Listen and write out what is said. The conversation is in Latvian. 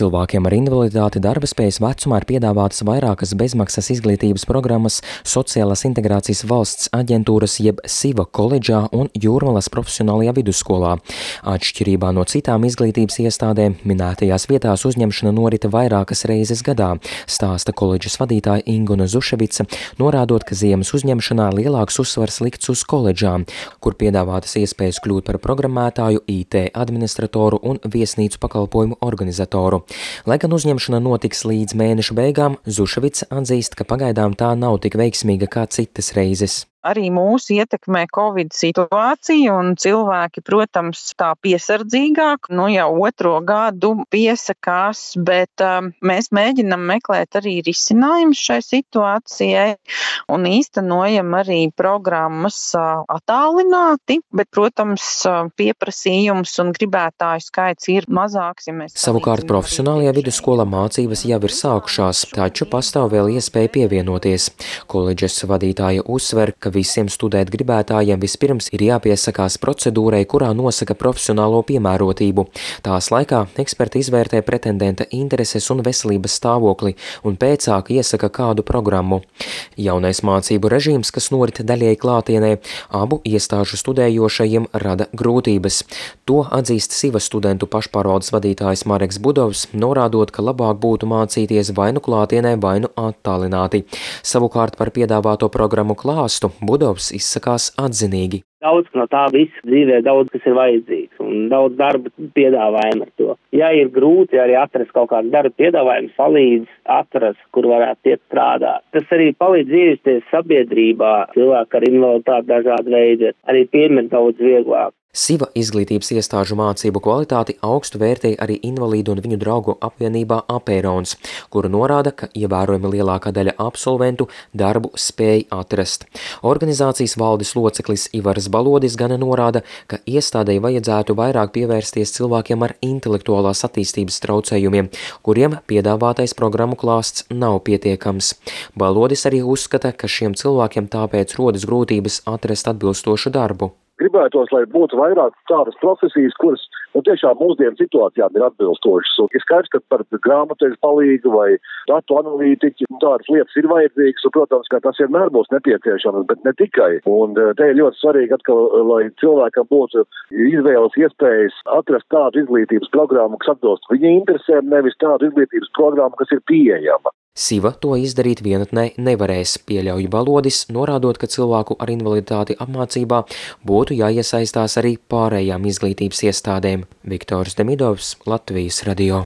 Cilvēkiem ar invaliditāti darba spējas vecumā ir piedāvātas vairākas bezmaksas izglītības programmas Sociālās integrācijas valsts aģentūras jeb SIVA koledžā un Jūrmalas profesionālajā vidusskolā. Atšķirībā no citām izglītības iestādēm, minētajās vietās uzņemšana norita vairākas reizes gadā, stāsta koledžas vadītāja Inguna Zuševica, norādot, ka ziemas uzņemšanā lielāks uzsvars likts uz koledžām, kur piedāvātas iespējas kļūt par programmētāju, IT administratoru un viesnīcu pakalpojumu organizatoru. Lai gan uzņemšana notiks līdz mēneša beigām, Zuševica atzīst, ka pagaidām tā nav tik veiksmīga kā citas reizes. Arī mūs ietekmē Covid situācija un cilvēki, protams, tā piesardzīgāk, jau otro gadu piesakās, bet mēs mēģinam meklēt arī risinājumus šai situācijai un īstenojam arī programmas attālināti, bet, protams, pieprasījums un gribētāju skaits ir mazāks. Savukārt profesionālajā vidusskolā mācības jau ir sākušās, taču pastāv vēl iespēja pievienoties. Koledžas vadītāja uzsver, ka visiem studēt gribētājiem vispirms ir jāpiesakās procedūrai, kurā nosaka profesionālo piemērotību. Tās laikā eksperti izvērtē pretendenta intereses un veselības stāvokli un pēcāk iesaka kādu programmu. Jaunais mācību režīms, kas norit daļēji klātienē, abu iestāžu studējošajiem rada grūtības. To atzīst SIVA studentu pašpārvaldes vadītājs Mareks Budovs, norādot, ka labāk būtu mācīties vai nu klātienē, vai nu attālināti. Savukārt par piedāvāto programmu klāstu Budovs izsakās atzinīgi. Daudz no tā visa dzīvē, daudz kas ir vajadzīgs un daudz darba piedāvājumu ar to. Ja ir grūti arī atrast kaut kādu darba piedāvājumu, palīdz atrast, kur varētu iet strādāt. Tas arī palīdz ievesties sabiedrībā, cilvēki ar invaliditāti dažādi veidi, arī pieņemt daudz vieglāk. SIVA izglītības iestāžu mācību kvalitāti augstu vērtēja arī Invalīdu un viņu draugu apvienībā Apērons, kura norāda, ka ievērojami lielākā daļa absolventu darbu spēj atrast. Organizācijas valdes loceklis Ivars Balodis gan norāda, ka iestādei vajadzētu vairāk pievērsties cilvēkiem ar intelektuālās attīstības traucējumiem, kuriem piedāvātais programmu klāsts nav pietiekams. Balodis arī uzskata, ka šiem cilvēkiem tāpēc rodas grūtības atrast atbilstošu darbu. Gribētos, lai būtu vairāk tādas profesijas, kuras tiešām mūsdienu situācijām ir atbilstošas. Un ir skaidrs, ka par grāmatvežu palīgu vai datu analītiķi tādas lietas ir vajadzīgas, un, protams, ka tas vienmēr būs nepieciešams, bet ne tikai. Un te ir ļoti svarīgi atkal, lai cilvēkam būtu izvēles iespējas atrast tādu izglītības programmu, kas atbilst viņa interesēm, nevis tādu izglītības programmu, kas ir pieejama. SIVA to izdarīt vienatnē nevarēs, pieļauj Balodis, norādot, ka cilvēku ar invaliditāti apmācībā būtu jāiesaistās arī pārējām izglītības iestādēm. Viktors Demidovs, Latvijas radio.